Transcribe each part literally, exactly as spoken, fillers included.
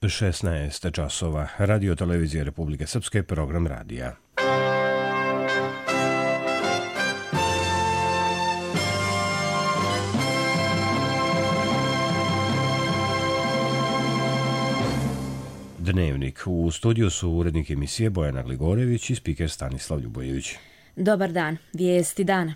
šesnaest časova. Radio televizije Republike Srpske, program radija. Dnevnik. U studiju su urednik emisije Bojana Gligorević i spiker Stanislav Ljubojević. Dobar dan. Vijesti dana.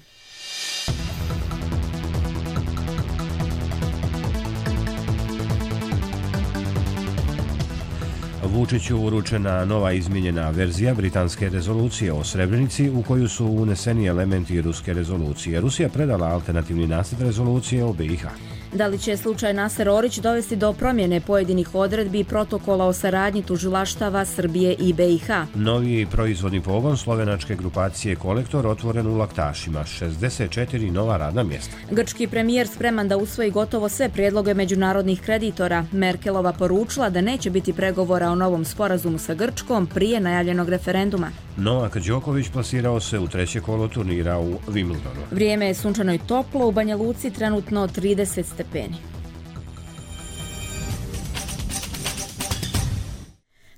Vučiću uručena nova izmijenjena verzija britanske rezolucije o Srebrenici u koju su uneseni elementi ruske rezolucije. Rusija predala alternativni nacrt rezolucije o B i H. Da li će slučaj Naser Orić dovesti do promjene pojedinih odredbi i protokola o saradnji tužilaštava Srbije i B i H? Novi proizvodni pogon slovenačke grupacije Kolektor otvoren u Laktašima, šezdeset četiri nova radna mjesta. Grčki premijer spreman da usvoji gotovo sve prijedloge međunarodnih kreditora. Merkelova poručila da neće biti pregovora o novom sporazumu sa Grčkom prije najavljenog referenduma. Novak Đoković plasirao se u treće kolo turnira u Wimbledonu. Vrijeme je sunčano i toplo, u Banja Luci trenutno trideset stepeni.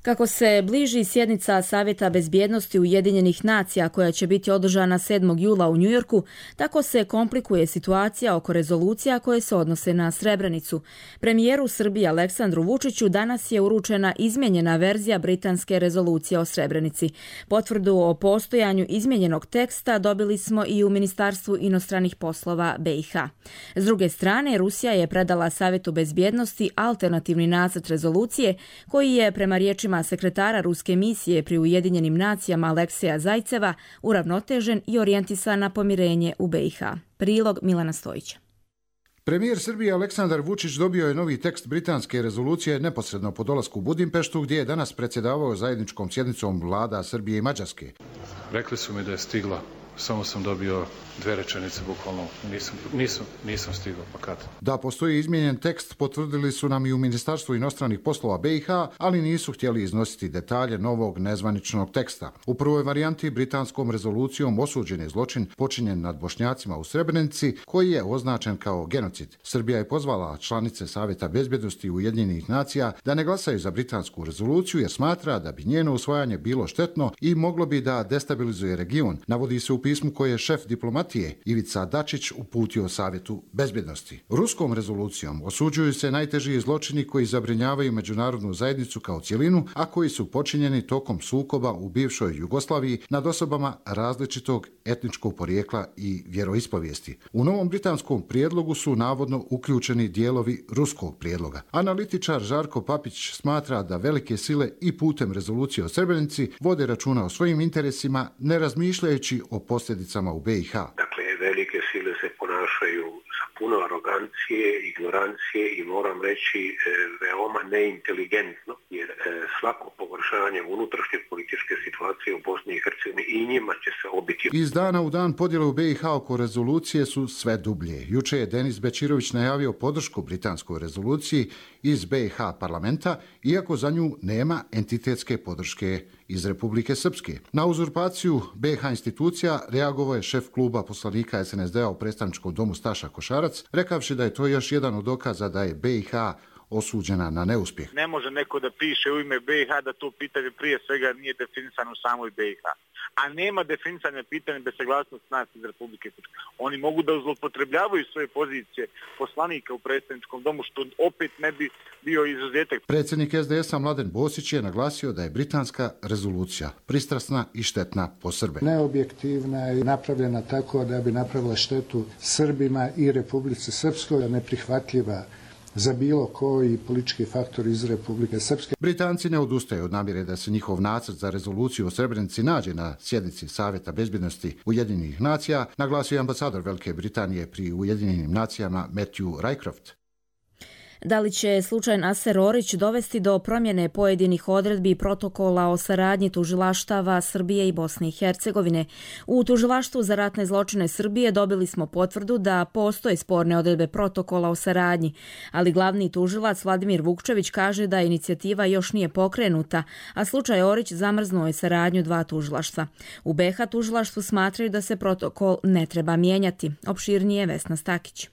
Kako se bliži sjednica Savjeta bezbjednosti Ujedinjenih nacija koja će biti održana sedmog jula u Njujorku, tako se komplikuje situacija oko rezolucija koje se odnose na Srebrenicu. Premijeru Srbije Aleksandru Vučiću danas je uručena izmijenjena verzija britanske rezolucije o Srebrenici. Potvrdu o postojanju izmijenjenog teksta dobili smo i u Ministarstvu inostranih poslova B i H. S druge strane, Rusija je predala Savjetu bezbjednosti alternativni nacrt rezolucije koji je prema riječima sekretara ruske misije pri Ujedinjenim nacijama Alekseja Zajceva uravnotežen i orijentisan na pomirenje u B i H. Prilog Milana Stojića. Premijer Srbije Aleksandar Vučić dobio je novi tekst britanske rezolucije neposredno po dolasku u Budimpeštu, gdje je danas predsjedavao zajedničkom sjednicom vlada Srbije i Mađarske. Rekli su mi da je stigla, samo sam dobio dve rečenice, bukvalno nisam, nisam, nisam stigao, pa kad? Da postoji izmijenjen tekst potvrdili su nam i u Ministarstvu inostranih poslova B i H, ali nisu htjeli iznositi detalje novog nezvaničnog teksta. U prvoj varijanti britanskom rezolucijom osuđen je zločin počinjen nad Bošnjacima u Srebrenici, koji je označen kao genocid. Srbija je pozvala članice Savjeta bezbjednosti Ujedinjenih nacija da ne glasaju za britansku rezoluciju jer smatra da bi njeno usvajanje bilo štetno i moglo bi da destabilizuje region, navodi se u pismu koje je šef diplomatije Ivica Dačić uputio Savjetu bezbjednosti. Ruskom rezolucijom osuđuju se najteži zločini koji zabrinjavaju međunarodnu zajednicu kao cjelinu, a koji su počinjeni tokom sukoba u bivšoj Jugoslaviji nad osobama različitog etničkog porijekla i vjeroispovijesti. U novom britanskom prijedlogu su navodno uključeni dijelovi ruskog prijedloga. Analitičar Žarko Papić smatra da velike sile i putem rezolucije o Srebrenici vode računa o svojim interesima, ne razmišljajući o posljedicama u B i H. Dakle, velike sile se ponašaju sa puno arogancije, ignorancije i moram reći e, veoma neinteligentno, jer e, svako pogoršanje unutrašnje političke situacije u Bosni i Hercegovini i njima će se obiti. Iz dana u dan podjele u B i H oko rezolucije su sve dublje. Juče je Denis Bečirović najavio podršku britanskoj rezoluciji iz B i H parlamenta, iako za nju nema entitetske podrške iz Republike Srpske. Na uzurpaciju B i H institucija reagovao je šef kluba poslanika S N S D-a u predstavničkom domu Staša Košarac, rekavši da je to još jedan od dokaza da je B i H osuđena na neuspjeh. Ne može neko da piše u ime B i H da to pitanje prije svega nije definisano u samoj B i H. A nema definisanja pitanja bez saglasnosti nas iz Republike Srpske. Oni mogu da zloupotrebljavaju svoje pozicije poslanika u predstavničkom domu, što opet ne bi bio izuzetak. Predsjednik S D S-a Mladen Bosić je naglasio da je britanska rezolucija pristrasna i štetna po Srbe. Neobjektivna je napravljena tako da bi napravila štetu Srbima i Republici Srpskoj, neprihvatljiva za bilo koji politički faktor iz Republike Srpske. Britanci ne odustaju od namjere da se njihov nacrt za rezoluciju o Srebrenici nađe na sjednici Savjeta bezbjednosti Ujedinjenih nacija, naglasio je ambasador Velike Britanije pri Ujedinjenim nacijama Matthew Rycroft. Da li će slučaj Naser Orić dovesti do promjene pojedinih odredbi i protokola o saradnji tužilaštava Srbije i Bosne i Hercegovine? U Tužilaštvu za ratne zločine Srbije dobili smo potvrdu da postoje sporne odredbe protokola o saradnji, ali glavni tužilac Vladimir Vukčević kaže da inicijativa još nije pokrenuta, a slučaj Orić zamrznuo je saradnju dva tužilaštva. U B i H tužilaštvu smatraju da se protokol ne treba mijenjati. Opširnije Vesna Stakić.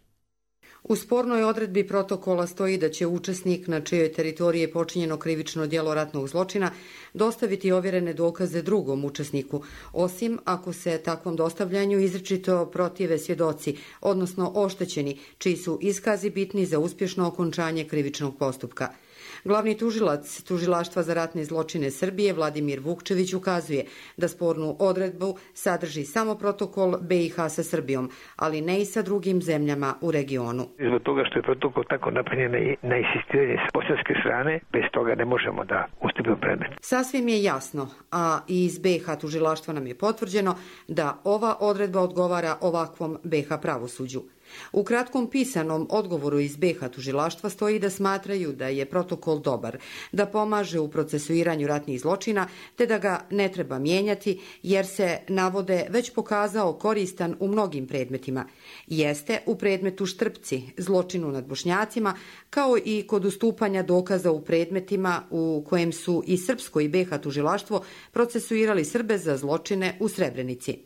U spornoj odredbi protokola stoji da će učesnik na čijoj teritoriji je počinjeno krivično djelo ratnog zločina dostaviti ovjerene dokaze drugom učesniku, osim ako se takvom dostavljanju izričito protive svjedoci, odnosno oštećeni, čiji su iskazi bitni za uspješno okončanje krivičnog postupka. Glavni tužilac Tužilaštva za ratne zločine Srbije Vladimir Vukčević ukazuje da spornu odredbu sadrži samo protokol B i H sa Srbijom, ali ne i sa drugim zemljama u regionu. Zbog toga što je protokol tako napravljen na insistiranje s bosanske strane, bez toga ne možemo da ustupimo predmet. Sasvim je jasno, a i iz B i H tužilaštva nam je potvrđeno da ova odredba odgovara ovakvom B i H pravosuđu. U kratkom pisanom odgovoru iz B i H tužilaštva stoji da smatraju da je protokol dobar, da pomaže u procesuiranju ratnih zločina, te da ga ne treba mijenjati jer se, navode, već pokazao koristan u mnogim predmetima. Jeste u predmetu Štrpci, zločinu nad Bošnjacima, kao i kod ustupanja dokaza u predmetima u kojem su i srpsko i B i H tužilaštvo procesuirali Srbe za zločine u Srebrenici.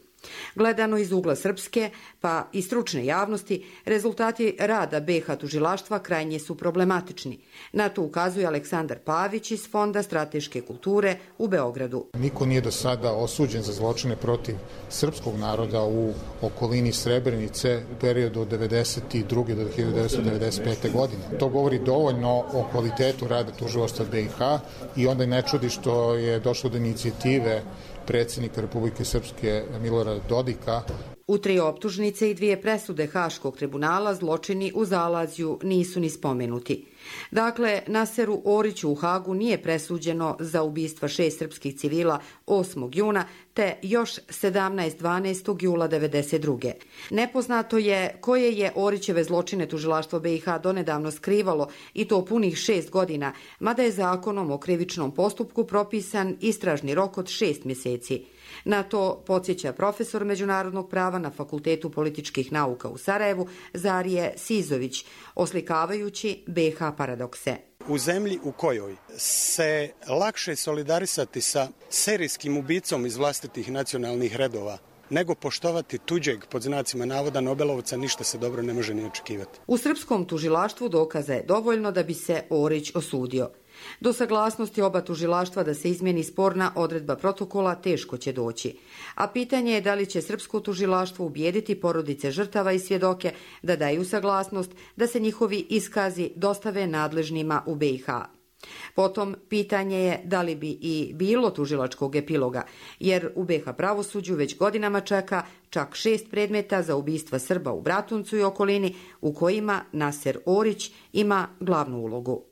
Gledano iz ugla srpske, pa i stručne javnosti, rezultati rada B i H tužilaštva krajnje su problematični. Na to ukazuje Aleksandar Pavić iz Fonda strateške kulture u Beogradu. Niko nije do sada osuđen za zločine protiv srpskog naroda u okolini Srebrenice u periodu od devedeset druge do hiljadu devetsto devedeset pete. godine. To govori dovoljno o kvalitetu rada tužilaštva B i H i onda ne čudi što je došlo do inicijative predsjednika Republike Srpske Milorada Dodika. U tri optužnice i dvije presude Haškog tribunala zločini u Zalazju nisu ni spomenuti. Dakle, Naseru Oriću u Hagu nije presuđeno za ubistva šest srpskih civila osmog juna te još sedamnaest dvanaestog jula devedeset druge. Nepoznato je koje je Orićeve zločine tužilaštvo B i H donedavno skrivalo i to punih šest godina, mada je zakonom o krivičnom postupku propisan istražni rok od šest mjeseci. Na to podsjeća profesor međunarodnog prava na Fakultetu političkih nauka u Sarajevu Zarije Sizović, oslikavajući B i H paradokse. U zemlji u kojoj se lakše solidarisati sa serijskim ubicom iz vlastitih nacionalnih redova nego poštovati tuđeg, pod znacima navoda, Nobelovca, ništa se dobro ne može ni očekivati. U srpskom tužilaštvu dokaza je dovoljno da bi se Orić osudio. Do saglasnosti oba tužilaštva da se izmjeni sporna odredba protokola teško će doći. A pitanje je da li će srpsko tužilaštvo ubijediti porodice žrtava i svjedoke da daju saglasnost da se njihovi iskazi dostave nadležnima u B i H. Potom, pitanje je da li bi i bilo tužilačkog epiloga, jer u B i H pravosuđu već godinama čeka čak šest predmeta za ubistva Srba u Bratuncu i okolini, u kojima Naser Orić ima glavnu ulogu.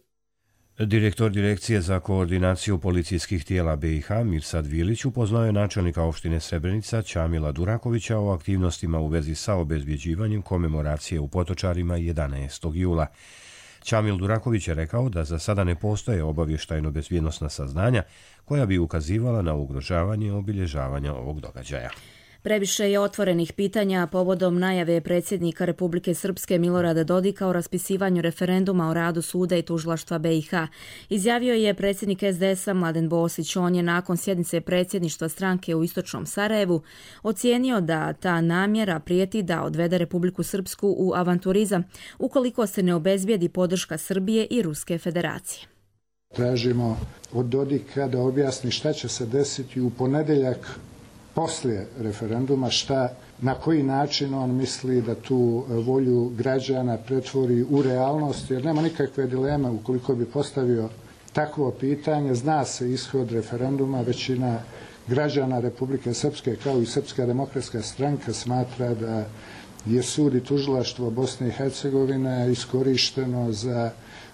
Direktor Direkcije za koordinaciju policijskih tijela B i H Mirsad Vilić upoznao je načelnika opštine Srebrenica Čamila Durakovića o aktivnostima u vezi sa obezbjeđivanjem komemoracije u Potočarima jedanaestog jula. Čamil Duraković je rekao da za sada ne postoje obavještajno-bezbjednosna saznanja koja bi ukazivala na ugrožavanje obilježavanja ovog događaja. Previše je otvorenih pitanja povodom najave predsjednika Republike Srpske Milorada Dodika o raspisivanju referenduma o radu suda i tužilaštva B i H. Izjavio je predsjednik S D S-a Mladen Bosić. On je nakon sjednice predsjedništva stranke u Istočnom Sarajevu ocijenio da ta namjera prijeti da odvede Republiku Srpsku u avanturizam ukoliko se ne obezbijedi podrška Srbije i Ruske federacije. Tražimo od Dodika da objasni šta će se desiti u ponedjeljak poslije referenduma, šta, na koji način on misli da tu volju građana pretvori u realnost, jer nema nikakve dileme ukoliko bi postavio takvo pitanje. Zna se ishod referenduma, većina građana Republike Srpske kao i Srpska demokratska stranka smatra da je sud i tužilaštvo Bosne i Hercegovine iskorišteno za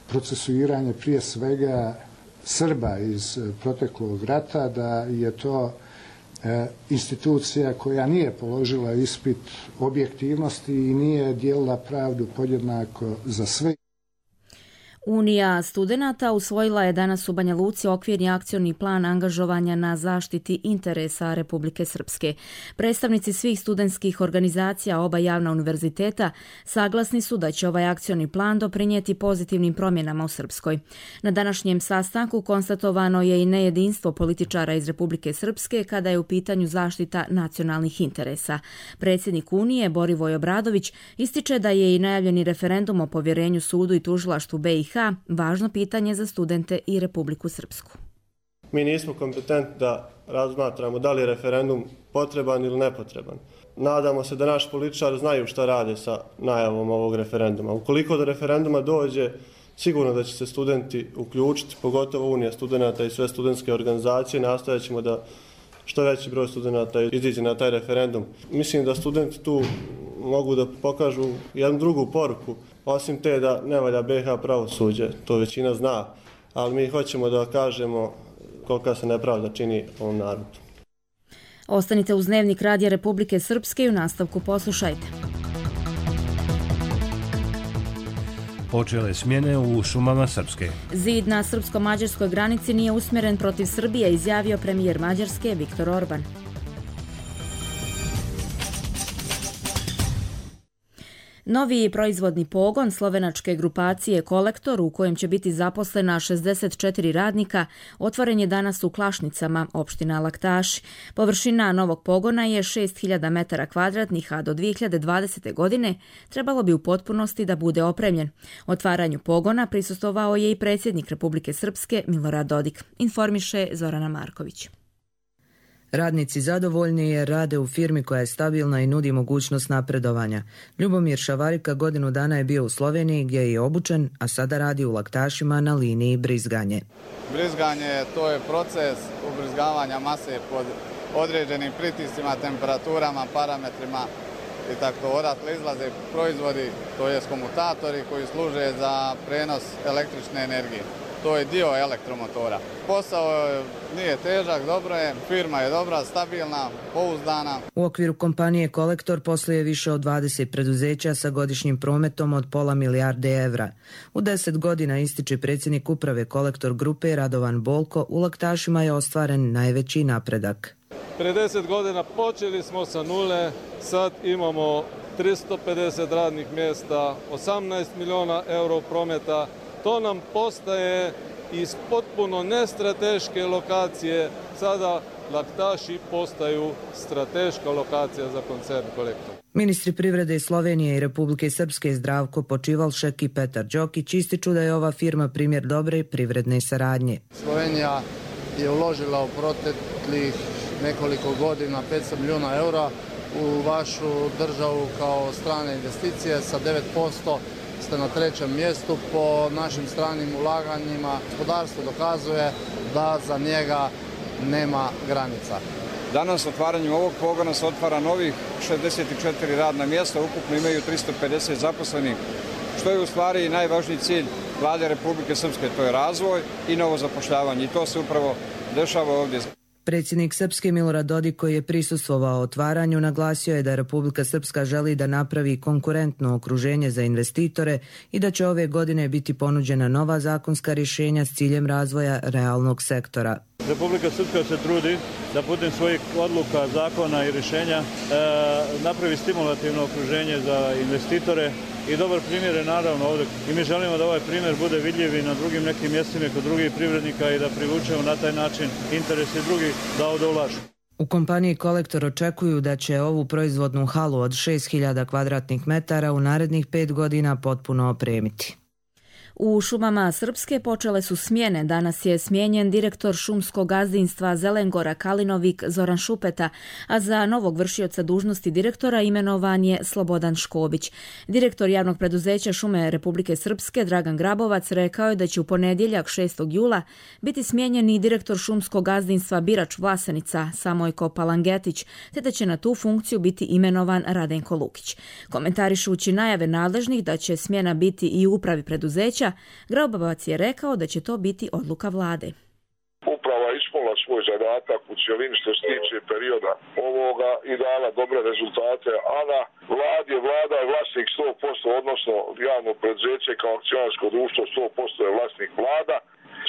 procesuiranje prije svega Srba iz proteklog rata, da je to institucija koja nije položila ispit objektivnosti i nije dijelila pravdu podjednako za sve. Unija studenata usvojila je danas u Banja Luci okvirni akcioni plan angažovanja na zaštiti interesa Republike Srpske. Predstavnici svih studentskih organizacija oba javna univerziteta saglasni su da će ovaj akcioni plan doprinijeti pozitivnim promjenama u Srpskoj. Na današnjem sastanku konstatovano je i nejedinstvo političara iz Republike Srpske kada je u pitanju zaštita nacionalnih interesa. Predsjednik Unije Borivoj Obradović ističe da je i najavljeni referendum o povjerenju sudu i tužilaštvu B i H važno pitanje za studente i Republiku Srpsku. Mi nismo kompetentni da razmatramo da li je referendum potreban ili nepotreban. Nadamo se da naši političari znaju šta rade sa najavom ovog referenduma. Ukoliko do referenduma dođe, sigurno da će se studenti uključiti, pogotovo Unija studenata i sve studentske organizacije. Nastojat ćemo da što veći broj studenata iziđe na taj referendum. Mislim da studenti tu mogu da pokažu jednu drugu poruku, osim te da ne valja B i H pravosuđe, to većina zna, ali mi hoćemo da kažemo kolika se nepravda čini ovom narodu. Ostanite uz Dnevnik Radija Republike Srpske i u nastavku poslušajte. Počele smjene u šumama Srpske. Zid na srpsko-mađarskoj granici nije usmjeren protiv Srbije, izjavio premijer Mađarske Viktor Orban. Novi proizvodni pogon slovenačke grupacije Kolektor, u kojem će biti zaposlena šezdeset četiri radnika, otvoren je danas u Klašnicama, opština Laktaši. Površina novog pogona je šest hiljada metara kvadratnih, a do dvije hiljade dvadesete. godine trebalo bi u potpunosti da bude opremljen. Otvaranju pogona prisustvovao je i predsjednik Republike Srpske Milorad Dodik, informiše Zorana Marković. Radnici zadovoljni jer rade u firmi koja je stabilna i nudi mogućnost napredovanja. Ljubomir Šavarika godinu dana je bio u Sloveniji gdje je i obučen, a sada radi u Laktašima na liniji brizganje. Brizganje to je proces ubrizgavanja mase pod određenim pritiscima, temperaturama, parametrima i tako odatle izlaze proizvodi, to je komutatori koji služe za prenos električne energije. To je dio elektromotora. Posao nije težak, dobro je, firma je dobra, stabilna, pouzdana. U okviru kompanije Kolektor posluje više od dvadeset preduzeća sa godišnjim prometom od pola milijarde evra. U deset godina, ističe predsjednik uprave Kolektor grupe Radovan Bolko, u Laktašima je ostvaren najveći napredak. Pre deset godina počeli smo sa nule, sad imamo tristo pedeset radnih mjesta, osamnaest miliona euro prometa. To nam postaje iz potpuno nestrateške lokacije. Sada Laktaši postaju strateška lokacija za koncern Kolektor. Ministri privrede Slovenije i Republike Srpske Zdravko Počivalšek i Petar Đokić ističu da je ova firma primjer dobre privredne saradnje. Slovenija je uložila u proteklih nekoliko godina petsto milijuna eura u vašu državu kao strane investicije sa devet posto. Ste na trećem mjestu po našim stranim ulaganjima. Gospodarstvo dokazuje da za njega nema granica. Danas otvaranjem ovog pogona se otvara novih šezdeset četiri radna mjesta, ukupno imaju tristo pedeset zaposlenih, što je u stvari najvažniji cilj Vlade Republike Srpske, to je razvoj i novo zapošljavanje i to se upravo dešava ovdje. Predsjednik Srpske Milorad Dodik, koji je prisustvovao otvaranju, naglasio je da Republika Srpska želi da napravi konkurentno okruženje za investitore i da će ove godine biti ponuđena nova zakonska rješenja s ciljem razvoja realnog sektora. Republika Srpska se trudi da putem svojih odluka, zakona i rješenja e, napravi stimulativno okruženje za investitore i dobar primjer je naravno ovdje. I mi želimo da ovaj primjer bude vidljiv i na drugim nekim mjestima kod drugih privrednika i da privučemo na taj način interes i drugih da ovdje ulažu. U kompaniji Kolektor očekuju da će ovu proizvodnu halu od šest hiljada kvadratnih metara u narednih pet godina potpuno opremiti. U šumama Srpske počele su smjene. Danas je smijenjen direktor šumskog gazdinstva Zelengora Kalinovik Zoran Šupeta, a za novog vršioca dužnosti direktora imenovan je Slobodan Škobić. Direktor javnog preduzeća Šume Republike Srpske Dragan Grabovac rekao je da će u ponedjeljak šestog jula biti smijenjen i direktor šumskog gazdinstva Birač Vlasenica Samojko Palangetić, te da će na tu funkciju biti imenovan Radenko Lukić. Komentarišući najave nadležnih da će smjena biti i u upravi preduzeća, Grabovac je rekao da će to biti odluka vlade. Uprava iz ispunila svoj zadatak u cijelini što se tiče perioda ovoga i dala dobre rezultate, a na vladi je vlada je vlasnik sto posto, odnosno javno preduzeće kao akcionarsko društvo sto posto je vlasnik vlada.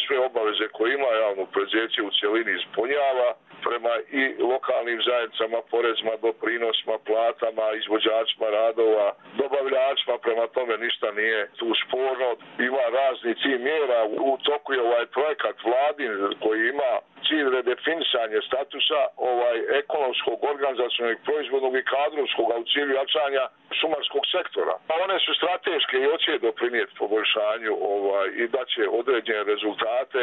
Sve obaveze koje ima javno preduzeće u cijelini ispunjava prema i lokalnim zajednicama, porezima, doprinosima, platama, izvođačima radova, dobavljačima, prema tome ništa nije tu sporno. Ima razni cilj mjera, u toku je ovaj projekat vladin koji ima cilj redefinisanje statusa ovaj ekonomskog, organizacionog, proizvodnog i kadrovskog, a u cilju jačanja šumarskog sektora. A one su strateške i hoće doprinijeti poboljšanju ovaj, i daće određene rezultate.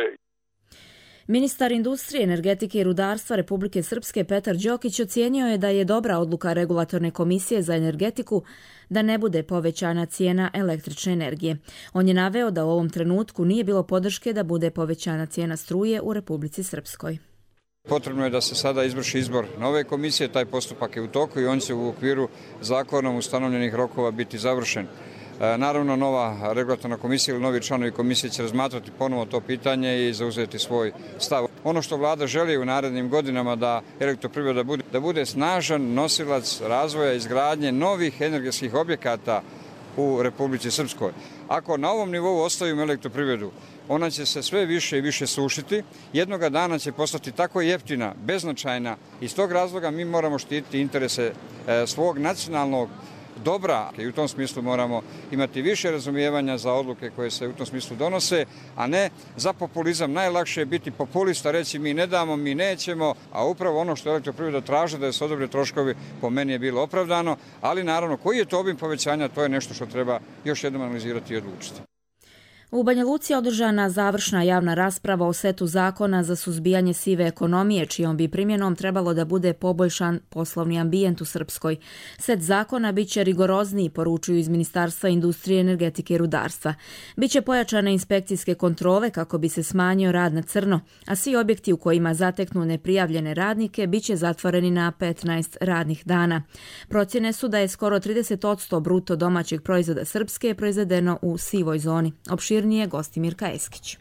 Ministar industrije, energetike i rudarstva Republike Srpske Petar Đokić ocijenio je da je dobra odluka Regulatorne komisije za energetiku da ne bude povećana cijena električne energije. On je naveo da u ovom trenutku nije bilo podrške da bude povećana cijena struje u Republici Srpskoj. Potrebno je da se sada izvrši izbor nove komisije, taj postupak je u toku i on će u okviru zakonom ustanovljenih rokova biti završen. Naravno, nova regulatorna komisija ili novi članovi komisije će razmatrati ponovo to pitanje i zauzeti svoj stav. Ono što vlada želi u narednim godinama da elektroprivreda bude, da bude snažan nosilac razvoja izgradnje novih energetskih objekata u Republici Srpskoj. Ako na ovom nivou ostavimo elektroprivredu, ona će se sve više i više sušiti. Jednoga dana će postati tako jeftina, beznačajna. Iz tog razloga mi moramo štititi interese svog nacionalnog dobra i u tom smislu moramo imati više razumijevanja za odluke koje se u tom smislu donose, a ne za populizam. Najlakše je biti populista, reći mi ne damo, mi nećemo, a upravo ono što elektroprivreda traži da se odobre troškovi po meni je bilo opravdano, ali naravno koji je to obim povećanja, to je nešto što treba još jednom analizirati i odlučiti. U Banja Luci je održana završna javna rasprava o setu zakona za suzbijanje sive ekonomije, čijom bi primjenom trebalo da bude poboljšan poslovni ambijent u Srpskoj. Set zakona biće rigorozniji, poručuju iz Ministarstva industrije, energetike i rudarstva. Biće pojačane inspekcijske kontrole kako bi se smanjio rad na crno, a svi objekti u kojima zateknu neprijavljene radnike biće zatvoreni na petnaest radnih dana. Procjene su da je skoro trideset posto bruto domaćeg proizvoda Srpske proizvedeno u sivoj zoni. Opširnije Gostimirka Eskić.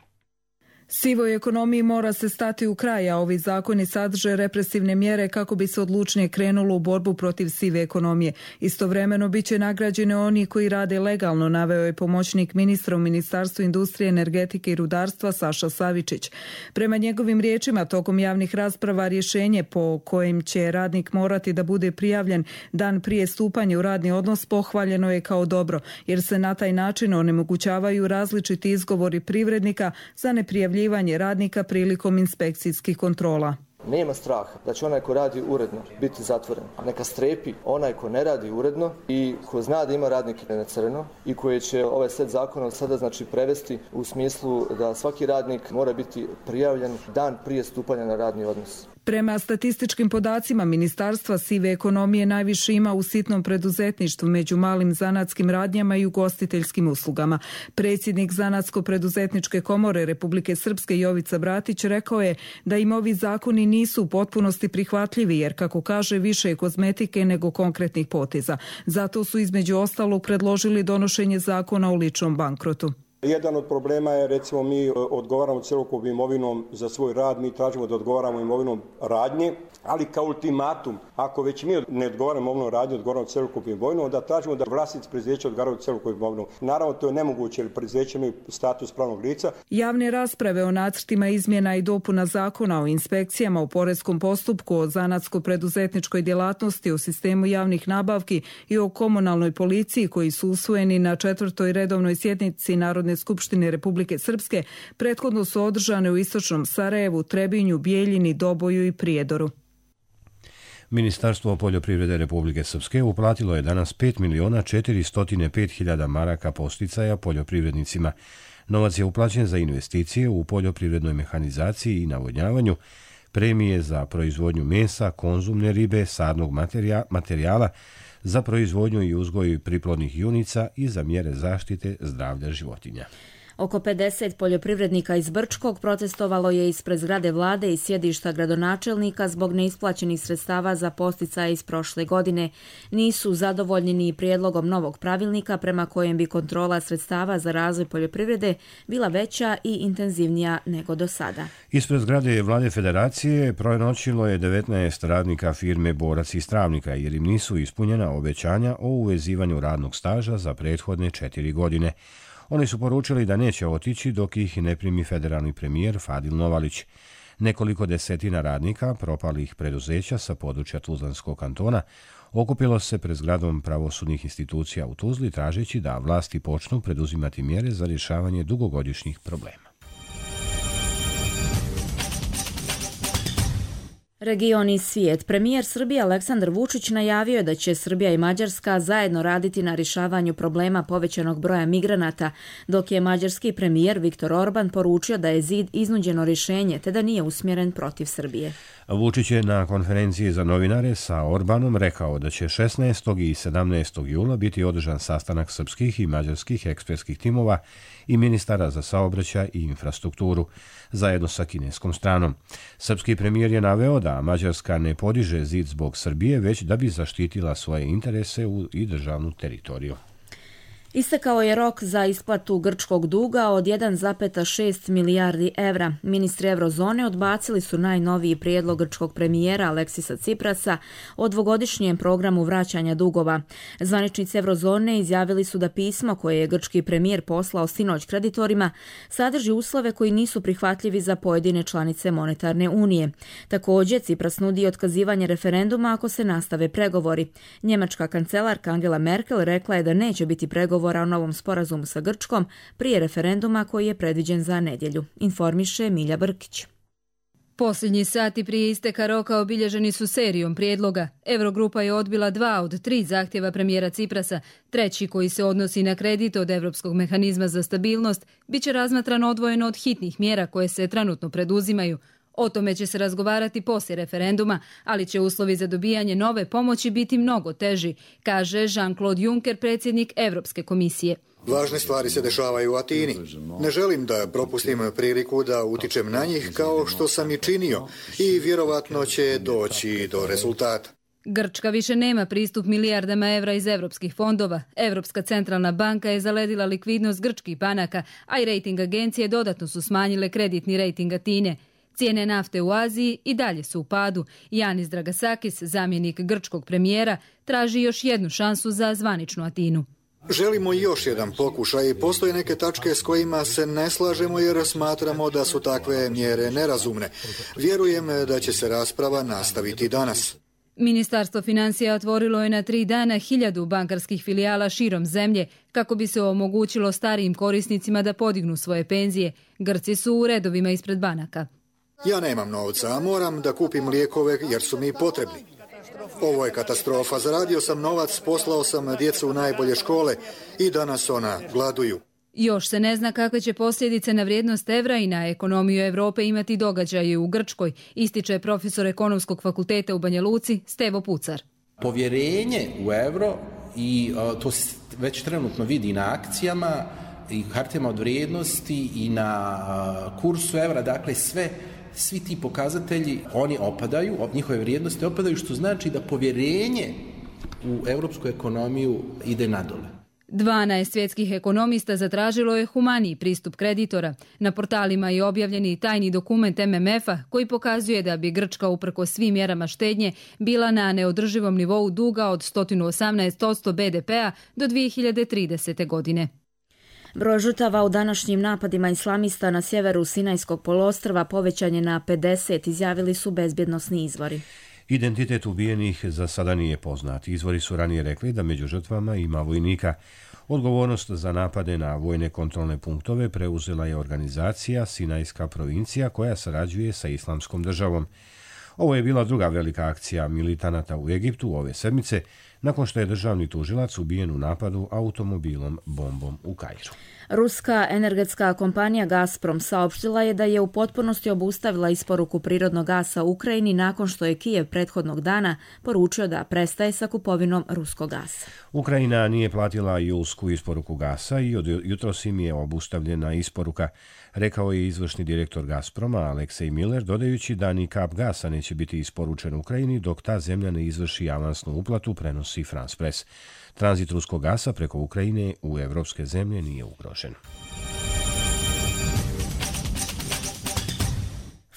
Sivoj ekonomiji mora se stati u kraj, a ovi zakoni sadrže represivne mjere kako bi se odlučnije krenulo u borbu protiv sive ekonomije. Istovremeno biće nagrađeni oni koji rade legalno, naveo je pomoćnik ministra u Ministarstvu industrije, energetike i rudarstva Saša Savičić. Prema njegovim riječima, tokom javnih rasprava rješenje po kojem će radnik morati da bude prijavljen dan prije stupanja u radni odnos pohvaljeno je kao dobro, jer se na taj način onemogućavaju različiti izgovori privrednika za neprijavljivanje radnika prilikom inspekcijskih kontrola. Nema straha da će onaj ko radi uredno biti zatvoren. Neka strepi onaj ko ne radi uredno i ko zna da ima radnike na crno i koji će ovaj set zakona sada znači prevesti u smislu da svaki radnik mora biti prijavljen dan prije stupanja na radni odnos. Prema statističkim podacima Ministarstva, sive ekonomije najviše ima u sitnom preduzetništvu među malim zanatskim radnjama i ugostiteljskim uslugama. Predsjednik Zanatsko-preduzetničke komore Republike Srpske Jovica Bratić rekao je da im ovi zakoni nisu u potpunosti prihvatljivi jer, kako kaže, više je kozmetike nego konkretnih poteza. Zato su između ostalog predložili donošenje zakona o ličnom bankrotu. Jedan od problema je, recimo, mi odgovaramo cjelokupnom imovinom za svoj rad, mi tražimo da odgovaramo imovinom radnje, ali kao ultimatum, ako već mi ne odgovaramo imovinom radnje, odgovaramo cjelokupnom imovinom, onda tražimo da vlasnici preduzeća odgovaraju cjelokupnom imovinom. Naravno, to je nemoguće jer preduzeća imaju status pravnog lica. Javne rasprave o nacrtima izmjena i dopuna zakona o inspekcijama u poreskom postupku, o zanatsko-preduzetničkoj djelatnosti, o sistemu javnih nabavki i o komunalnoj policiji koji su usvojeni na četvrtoj redovnoj sjednici Narodne skupštine Republike Srpske prethodno su održane u istočnom Sarajevu, Trebinju, Bijeljini, Doboju i Prijedoru. Ministarstvo poljoprivrede Republike Srpske uplatilo je danas pet miliona četiristo pet hiljada maraka posticaja poljoprivrednicima. Novac je uplaćen za investicije u poljoprivrednoj mehanizaciji i navodnjavanju, premije za proizvodnju mesa, konzumne ribe, sadnog materijala, za proizvodnju i uzgoj priplodnih junica i za mjere zaštite zdravlja životinja. Oko pedeset poljoprivrednika iz Brčkog protestovalo je ispred zgrade vlade i sjedišta gradonačelnika zbog neisplaćenih sredstava za posticaje iz prošle godine. Nisu zadovoljni ni prijedlogom novog pravilnika prema kojem bi kontrola sredstava za razvoj poljoprivrede bila veća i intenzivnija nego do sada. Ispred zgrade vlade federacije prenoćilo je devetnaest radnika firme Borac iz Travnika jer im nisu ispunjena obećanja o uvezivanju radnog staža za prethodne četiri godine. Oni su poručili da neće otići dok ih ne primi federalni premijer Fadil Novalić. Nekoliko desetina radnika propalih preduzeća sa područja Tuzlanskog kantona okupilo se pred zgradom pravosudnih institucija u Tuzli tražeći da vlasti počnu preduzimati mjere za rješavanje dugogodišnjih problema. Region i svijet. Premijer Srbije Aleksandar Vučić najavio je da će Srbija i Mađarska zajedno raditi na rješavanju problema povećanog broja migranata, dok je mađarski premijer Viktor Orban poručio da je zid iznuđeno rješenje te da nije usmjeren protiv Srbije. Vučić je na konferenciji za novinare sa Orbanom rekao da će šesnaestog i sedamnaestog jula biti održan sastanak srpskih i mađarskih ekspertskih timova i ministara za saobraćaj i infrastrukturu, zajedno sa kineskom stranom. Srpski premijer je naveo da Mađarska ne podiže zid zbog Srbije, već da bi zaštitila svoje interese i državnu teritoriju. Istekao je rok za isplatu grčkog duga od jedan zarez šest milijardi evra. Ministri Eurozone odbacili su najnoviji prijedlog grčkog premijera Aleksisa Ciprasa o dvogodišnjem programu vraćanja dugova. Zvaničnici Eurozone izjavili su da pismo koje je grčki premijer poslao sinoć kreditorima sadrži uslove koji nisu prihvatljivi za pojedine članice monetarne unije. Također, Cipras nudi otkazivanje referenduma ako se nastave pregovori. Njemačka kancelarka Angela Merkel rekla je da neće biti pregovora o novom sporazumu sa Grčkom prije referenduma koji je predviđen za nedjelju, informiše Milja Brkić. Posljednji sati prije isteka roka obilježeni su serijom prijedloga. Eurogrupa je odbila dva od tri zahtjeva premijera Ciprasa. Treći, koji se odnosi na kredit od Europskog mehanizma za stabilnost, bit će razmatran odvojeno od hitnih mjera koje se trenutno preduzimaju. O tome će se razgovarati poslije referenduma, ali će uslovi za dobijanje nove pomoći biti mnogo teži, kaže Jean-Claude Juncker, predsjednik Europske komisije. Važne stvari se dešavaju u Atini. Ne želim da propustim priliku da utičem na njih kao što sam i činio i vjerovatno će doći do rezultata. Grčka više nema pristup milijardama evra iz europskih fondova. Europska centralna banka je zaledila likvidnost grčkih banaka, a i rejting agencije dodatno su smanjile kreditni rejting Atine. Cijene nafte u Aziji i dalje su u padu. Janis Dragasakis, zamjenik grčkog premijera, traži još jednu šansu za zvaničnu Atinu. Želimo još jedan pokušaj. Postoje neke tačke s kojima se ne slažemo jer smatramo da su takve mjere nerazumne. Vjerujem da će se rasprava nastaviti danas. Ministarstvo financija otvorilo je na tri dana hiljadu bankarskih filijala širom zemlje kako bi se omogućilo starijim korisnicima da podignu svoje penzije. Grci su u redovima ispred banaka. Ja nemam novca, a moram da kupim lijekove jer su mi potrebni. Ovo je katastrofa. Zaradio sam novac, poslao sam djecu u najbolje škole i danas ona gladuju. Još se ne zna kakve će posljedice na vrijednost evra i na ekonomiju Europe imati događaje u Grčkoj, ističe profesor Ekonomskog fakulteta u Banja Luci Stevo Pucar. Povjerenje u euro, i to se već trenutno vidi na akcijama i hartijama od vrijednosti i na kursu evra, dakle sve Svi ti pokazatelji, oni opadaju, njihove vrijednosti opadaju, što znači da povjerenje u europsku ekonomiju ide nadole. dvanaest svjetskih ekonomista zatražilo je humaniji pristup kreditora. Na portalima je objavljen i tajni dokument M M F-a koji pokazuje da bi Grčka uprkos svim mjerama štednje bila na neodrživom nivou duga od sto osamnaest posto B D P-a do dvije hiljade tridesete. godine. Broj žrtava u današnjim napadima islamista na sjeveru Sinajskog poluostrva povećan je na pedeset, izjavili su bezbjednosni izvori. Identitet ubijenih za sada nije poznat. Izvori su ranije rekli da među žrtvama ima vojnika. Odgovornost za napade na vojne kontrolne punktove preuzela je organizacija Sinajska provincija koja sarađuje sa Islamskom državom. Ovo je bila druga velika akcija militanata u Egiptu ove sedmice nakon što je državni tužilac ubijen u napadu automobilom bombom u Kairu. Ruska energetska kompanija Gazprom saopštila je da je u potpunosti obustavila isporuku prirodnog gasa u Ukrajini nakon što je Kijev prethodnog dana poručio da prestaje sa kupovinom ruskog gasa. Ukrajina nije platila julsku isporuku gasa i od jutros im je obustavljena isporuka, rekao je izvršni direktor Gazproma Aleksej Miller, dodajući da ni kap gasa neće biti isporučen Ukrajini dok ta zemlja ne izvrši avansnu uplatu, prenosi France Press. Tranzit ruskog gasa preko Ukrajine u evropske zemlje nije ugrožen.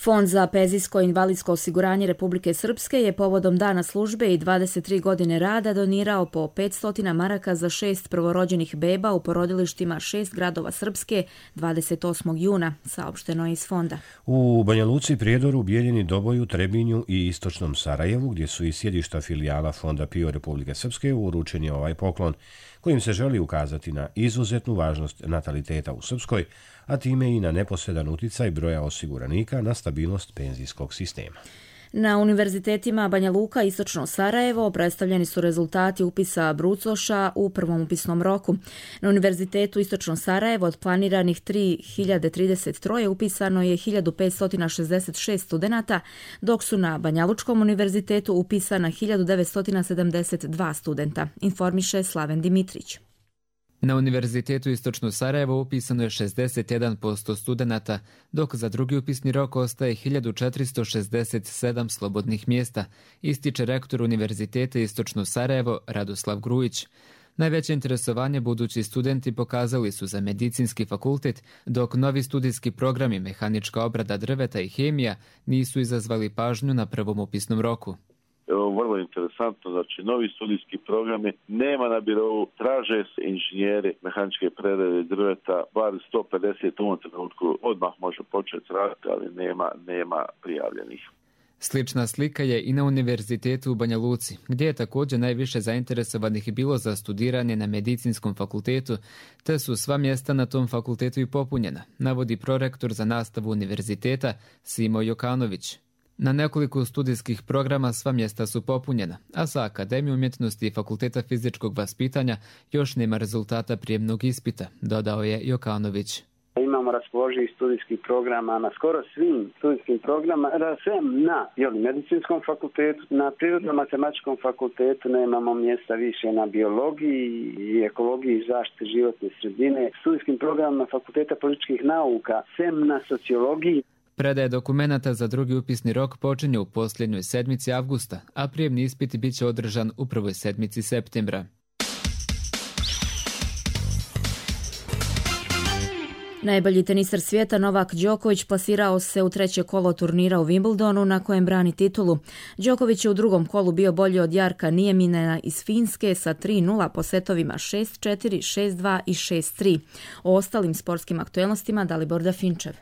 Fond za penzijsko i invalidsko osiguranje Republike Srpske je povodom dana službe i dvadeset tri godine rada donirao po petsto maraka za šest prvorođenih beba u porodilištima šest gradova Srpske dvadeset osmog juna, saopšteno je iz fonda. U Banja Luci, Prijedoru, Bijeljini, Doboju, Trebinju i istočnom Sarajevu, gdje su i sjedišta filijala Fonda PIO Republike Srpske, uručen je ovaj poklon, kojim se želi ukazati na izuzetnu važnost nataliteta u Srpskoj, a time i na neposredan uticaj broja osiguranika na stabilnost penzijskog sistema. Na univerzitetima Banja Luka i istočno Sarajevo predstavljeni su rezultati upisa brucoša u prvom upisnom roku. Na univerzitetu istočno Sarajevo od planiranih tri hiljade trideset tri upisano je hiljadu petsto šezdeset šest studenata, dok su na Banjalučkom univerzitetu upisana hiljadu devetsto sedamdeset dva studenta, informiše Slaven Dimitrić. Na Univerzitetu Istočno Sarajevo upisano je šezdeset jedan posto studenata, dok za drugi upisni rok ostaje hiljadu četiristo šezdeset sedam slobodnih mjesta, ističe rektor Univerziteta Istočno Sarajevo Radoslav Grujić. Najveće interesovanje budući studenti pokazali su za medicinski fakultet, dok novi studijski programi mehanička obrada drveta i hemija nisu izazvali pažnju na prvom upisnom roku. Vrlo interesantno, znači novi studijski programi nema na birovu, traže se inženjeri mehaničke prerade drveta, bar sto pedeset u ovom trenutku odmah može početi raditi, ali nema, nema prijavljenih. Slična slika je i na Univerzitetu u Banja Luci, gdje je također najviše zainteresovanih bilo za studiranje na medicinskom fakultetu, te su sva mjesta na tom fakultetu i popunjena, navodi prorektor za nastavu univerziteta Simo Jokanović. Na nekoliko studijskih programa sva mjesta su popunjena, a sa Akademije umjetnosti i Fakulteta fizičkog vaspitanja još nema rezultata prijemnog ispita, dodao je Jokanović. Imamo raspoloživih studijskih programa na skoro svim studijskim programama, sem na jeli, medicinskom fakultetu, na prirodno-matematičkom fakultetu nemamo mjesta više na biologiji i ekologiji i zaštiti životne sredine, studijskim programama Fakulteta političkih nauka, sem na sociologiji. Predaje dokumenata za drugi upisni rok počinje u posljednjoj sedmici avgusta, a prijemni ispit bit će održan u prvoj sedmici septembra. Najbolji teniser svijeta Novak Đoković plasirao se u treće kolo turnira u Wimbledonu na kojem brani titulu. Đoković je u drugom kolu bio bolji od Jarka Nijeminena iz Finske sa tri nula po setovima šest četiri, šest dva i šest tri. O ostalim sportskim aktuelnostima Dalibor Dafinčev.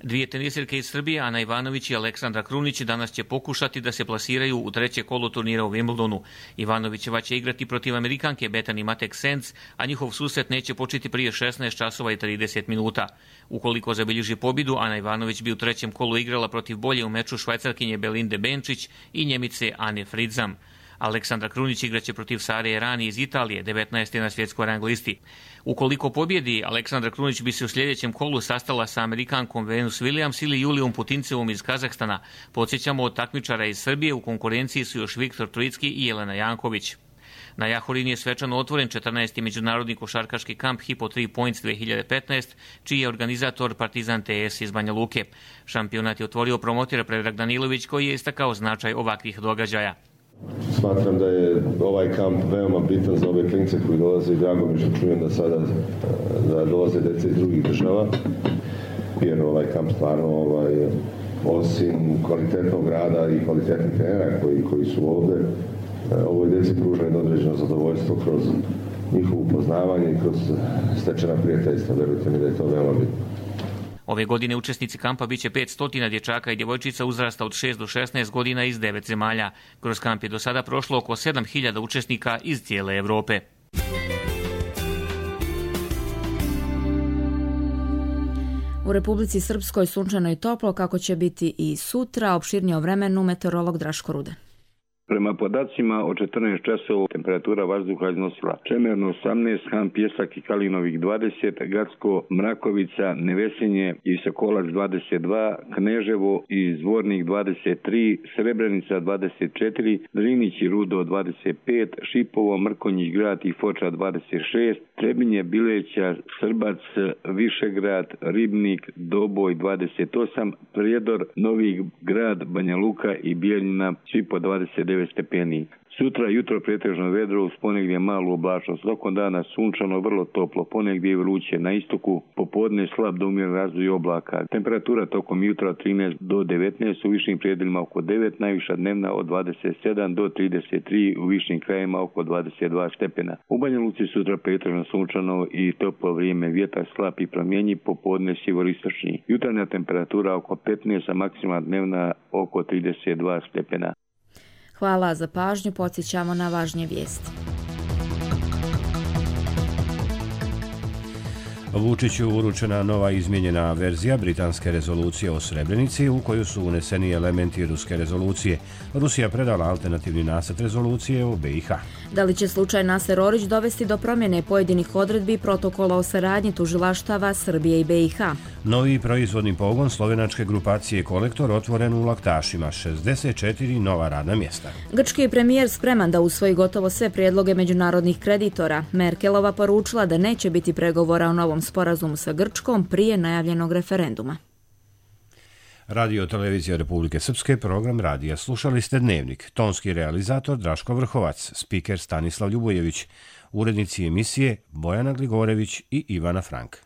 Dvije tenisirke iz Srbije, Ana Ivanović i Aleksandra Krunić, danas će pokušati da se plasiraju u treće kolo turnira u Wimbledonu. Ivanovićeva će igrati protiv Amerikanke Bethany Matek-Sands, a njihov susret neće početi prije šesnaest časova i trideset minuta. Ukoliko zabilježi pobjedu, Ana Ivanović bi u trećem kolu igrala protiv bolje u meču Švajcarkinje Belinde Benčić i Njemice Ane Fridzam. Aleksandra Krunić igraće protiv Sare Errani iz Italije, devetnaeste na svjetskoj rang listi. Ukoliko pobjedi, Aleksandra Krunić bi se u sljedećem kolu sastala sa Amerikankom Venus Williams ili Julijom Putincevom iz Kazahstana. Podsjećamo, od takmičara iz Srbije u konkurenciji su još Viktor Trojicki i Jelena Janković. Na Jahorini je svečano otvoren četrnaesti međunarodni košarkaški kamp Hypo tri Points dvije hiljade petnaest, čiji je organizator Partizan T S iz Banja Luke. Šampionat je otvorio promotir Predrag Danilović, koji je istakao značaj ovakvih događaja. Smatram da je ovaj kamp veoma bitan za ove klince koji dolaze i drago mi što čujem da sada da dolaze djece iz drugih država, jer ovaj kamp stvarno ovaj, osim kvalitetnog rada i kvalitetnih trenera koji, koji su ovdje, ovoj djeci pruža jedno određeno zadovoljstvo kroz njihovo upoznavanje i kroz stečena prijateljstva. Verujte mi da je to veoma bitno. Ove godine učesnici kampa biće petsto dječaka i djevojčica uzrasta od šest do šesnaest godina iz devet zemalja. Kroz kamp je do sada prošlo oko sedam hiljada učesnika iz cijele Europe. U Republici Srpskoj sunčano i toplo, kako će biti i sutra. Opširnije o vremenu meteorolog Draško Rudan. Prema podacima od četrnaest časova temperatura vazduha iznosila Čemerno osamnaest, Han Pjesak i Kalinovik dvadeset, Gacko, Mrakovica, Nevesinje i Sokolac dvadeset dva, Kneževo i Zvornik dvadeset tri, Srebrenica dvadeset četiri, Drinić i Rudo dvadeset pet, Šipovo, Mrkonjić Grad i Foča dvadeset šest, Trebinje, Bileća, Srbac, Višegrad, Ribnik, Doboj dvadeset osam, Prijedor, Novi Grad, Banja Luka i Bijeljina svi po dvadeset devet stepeni. Sutra jutro pretežno vedro, uz ponegdje malu oblačnost. Tokom dana sunčano, vrlo toplo, ponegdje vruće. Na istoku popodne slab do umjeren razvoj oblaka. Temperatura tokom jutra od trinaest do devetnaest, u višim predelima oko devet, najviša dnevna od dvadeset sedam do trideset tri, u višim krajima oko dvadeset dva stepena. U Banja Luci sutra pretežno sunčano i toplo vrijeme, vjetar slab i promjenjiv, popodne sjeveristočni. Jutarnja temperatura oko petnaest, a maksimalna dnevna oko trideset dva stepena. Hvala za pažnju, podsjećamo na važnije vijesti. Vučiću uručena nova izmijenjena verzija britanske rezolucije o Srebrenici u koju su uneseni elementi ruske rezolucije. Rusija predala alternativni nacrt rezolucije o B i H. Da li će slučaj Naser Orić dovesti do promjene pojedinih odredbi protokola o saradnji tužilaštava Srbije i B i H? Novi proizvodni pogon slovenačke grupacije Kolektor otvoren u Laktašima, šezdeset četiri nova radna mjesta. Grčki je premijer spreman da usvoji gotovo sve prijedloge međunarodnih kreditora. Merkelova poručila da neće biti pregovora o novom sporazumu sa Grčkom prije najavljenog referenduma. Radio Televizija Republike Srpske, program radija. Slušali ste Dnevnik. Tonski realizator Draško Vrhovac, spiker Stanislav Ljubojević, urednici emisije Bojana Gligorević i Ivana Frank.